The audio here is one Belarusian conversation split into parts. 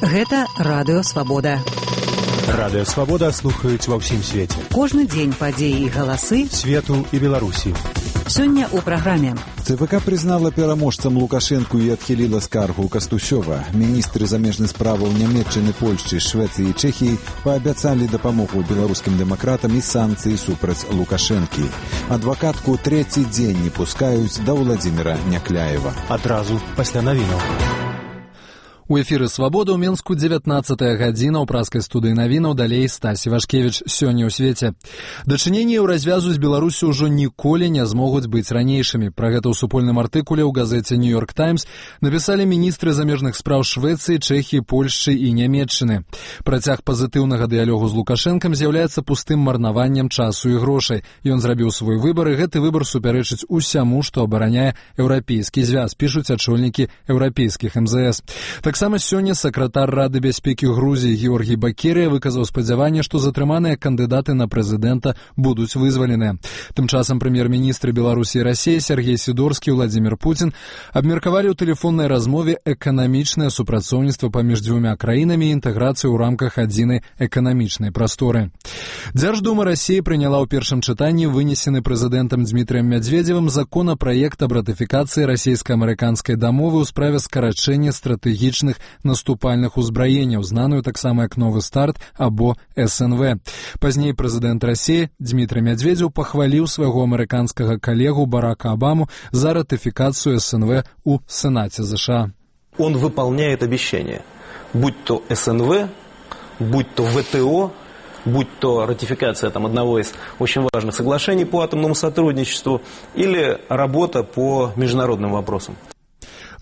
Гэта Радыё Свабода. Радыё Свабода слухаюць ва ўсім свеце. Кожны дзень падзеі і галасы свету і Беларусі. Сёння ў праграме. ЦВК признала пераможцам Лукашэнку і адхіліла скаргу Кастусёва. Міністры замежных справаў Нямецчыны, Польшчы, Швецыі і Чэхіі паабяцалі дапамогу беларускім дэмакратам і санкцыі супраць Лукашэнкі. Адвакатку трэці дзень не пускаюць да Владзіміра Някляева. Адразу пасля навінаў. У эфіры «Свабода» ў Менску 19-я гадзіна, ў праскай студыі навінаў, далей Стасі Вашкевіч. Сёння ў свеце. Дачыненні ў развязу з Беларусю ўжо ніколі не змогуць быць ранейшымі. Пра гэта ў супольным артыкуле ў газеце «Нью-Йорк Таймс» напісалі міністры замежных спраў Швецыі, Чэхіі, Польшчы і Нямецчыны. Працяг пазітыўнага дыялогу з Лукашэнкам з'яўляецца пустым марнаваннем часу і грошай. Ён зрабіў свой выбар, і гэты выбар супярэчыць усяму, што абараняе еўрапейскі звяз, пішуць ачольнікі еўрапейскіх МЗС. Таксама сёння сакратар Рады бяспекі Грузіі Георгій Бакерія выказаў спадзяванне, што затрыманыя кандыдаты на прэзідэнта будуць вызваленыя. Тым часам прэм'ер-міністры Беларусі і Расіі Сергей Сідорскі і Владзімір Пуцін абмеркавалі ў тэлефоннай размове эканамічнае супрацоўніцтва паміж дзвюма краінамі і інтэграцыю ў рамках адзінай эканамічнай прасторы. Дзярждума Расіі прыняла ў першым чытанні вынесены прэзідэнтам Дмітрыем Мядзведзевым законапраект аб ратыфікацыі расійска-амерыканскай дамовы ў справе скарачэння стратэгічных наступальных узбраенняў, знаную таксама як «Новы старт» або СНВ. Пазней прэзідэнт Расіі Дмітрый Мядзведзеў пахваліў свайго амерыканскага калегу Барака Обаму за ратыфікацыю СНВ у Сенаце США. Он выполняет обещания, будь то СНВ, будь то ВТО, будь то ратификация одного из очень важных соглашений по атомному сотрудничеству или работа по международным вопросам.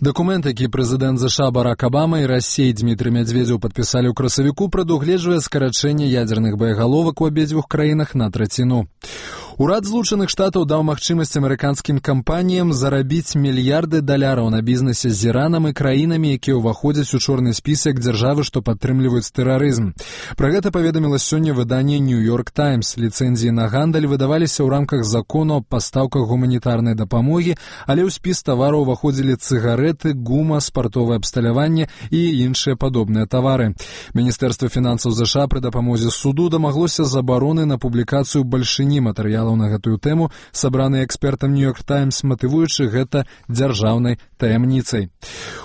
Дакумент, які прэзідэнт ЗША Барак Обама і Расіі Дмітрый Мядзведзеў падпісалі ў красавіку, прадугледжвае скарачэнне ядзерных баягаловак у абедзвюх краінах на траціну. Урад Злучаных Штатаў даў магчымасць амерыканскім кампаніям зарабіць мільярды даляраў на бізнесе з Іранам і краінамі, якія ўваходзяць у чорны спісак дзяржавы, што падтрымліваюць тэрарызм. Пра гэта паведаміла сёння выданне «Нью-Йорк Таймс». Ліцэнзіі на гандаль выдаваліся ў рамках закону аб пастаўках гуманітарнай дапамогі, але ў спіс тавараў уваходзілі цыгарэты, гума, спартовае абсталяванне і іншыя падобныя тавары. Міністэрства фінансаў ЗША пры дапамозе суду дамаглося забароны на публікацыю бальшыні матэрыялаў на гэтую тэму, сабраныя экспертам «Нью-Йорк Таймс», матывуючы гэта дзяржаўнай таямніцай.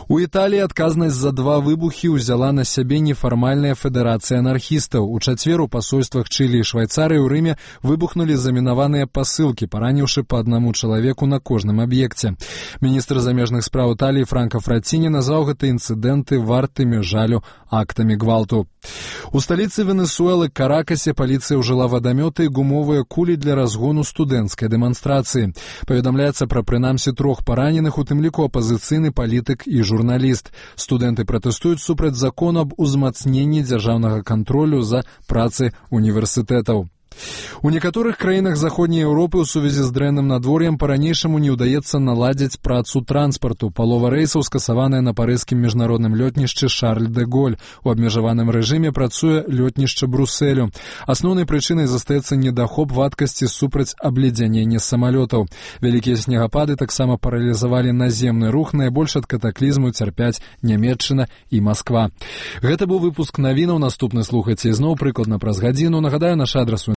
У Італіі адказнасць за 2 выбухі ўзяла на сябе нефармальная федэрацыя анархістаў. У чацвер у пасольствах Чылі і Швайцарыі ў Рыме выбухнулі замінаваныя пасылкі, параніўшы па 1 чалавеку на кожным аб'екце. Міністр замежных спраў Італіі Франка Фраціні назваў гэта інцыдэнты вартымі жалю актамі гвалту. У сталіцы Венесуэлы Каракасе паліцыя ўжыла вадамёты і гумовыя кулі для разгону студэнцкай дэманстрацыі. Паведамляецца пра прынамсі 3 параненых, у тым ліку апазіцыйны палітык і журналіст. Студэнты пратэстуюць супраць закону аб узмацненні дзяржаўнага кантролю за працай універсітэтаў. У некаторых краінах заходняй Еўропы ў сувязі з дрэнным надвор'ем па-ранейшаму не ўдаецца наладзіць працу транспарту. Палова рэйсаў скасаваная на парыжскім міжнародным лётнішчы Шарль дэ Голь. У абмежаваным рэжыме працуе лётнішча Брусэлю. Асноўнай прычынай застаецца недахоп вадкасці супраць абледзянення самалётаў. Вялікія снегапады таксама паралізавалі наземны рух, найбольш ад катаклізму цярпяць Нямецчына і Масква. Гэта быў выпуск навінаў. Наступны слухайце ізноў прыкладна праз гадзіну. Нагадаю, наш адрас